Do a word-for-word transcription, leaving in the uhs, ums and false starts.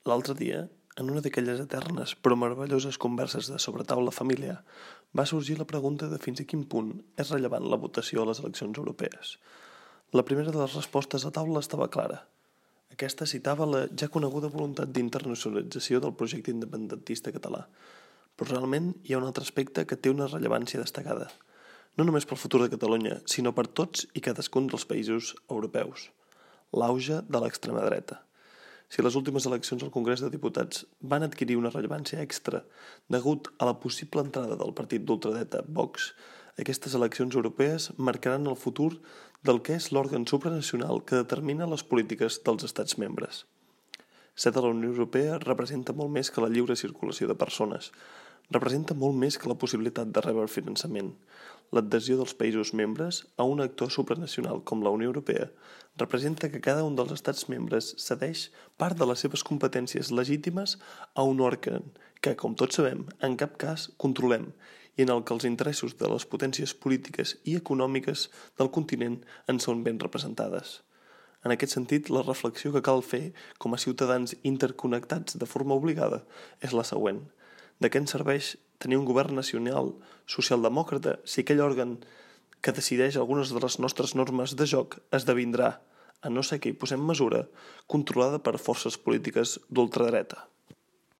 L'altre dia, en una d'aquelles eternes però meravelloses converses de sobretaula familiar, va sorgir la pregunta de fins a quin punt és rellevant la votació a les eleccions europees. La primera de les respostes a taula estava clara. Aquesta citava la ja coneguda voluntat d'internacionalització del projecte independentista català. Però realment hi ha un altre aspecte que té una rellevància destacada. No només pel futur de Catalunya, sinó per tots i cadascun dels països europeus. L'auge de l'extrema dreta. Si les últimes eleccions al Congrés de Diputats van adquirir una rellevància extra degut a la possible entrada del partit d'ultradreta Vox, aquestes eleccions europees marcaran el futur del que és l'òrgan supranacional que determina les polítiques dels estats membres. Ser de la Unió Europea representa molt més que la lliure circulació de persones, representa molt més que la possibilitat de rebre finançament. L'adhesió dels països membres a un actor supranacional com la Unió Europea representa que cada un dels estats membres cedeix part de les seves competències legítimes a un òrgan que, com tots sabem, en cap cas controlem i en el que els interessos de les potències polítiques i econòmiques del continent en són ben representades. En aquest sentit, la reflexió que cal fer com a ciutadans interconnectats de forma obligada és la següent. De què ens serveix tenir un govern nacional socialdemòcrata si aquell òrgan que decideix algunes de les nostres normes de joc esdevindrà, a no ser que hi posem mesura, controlada per forces polítiques d'ultradreta?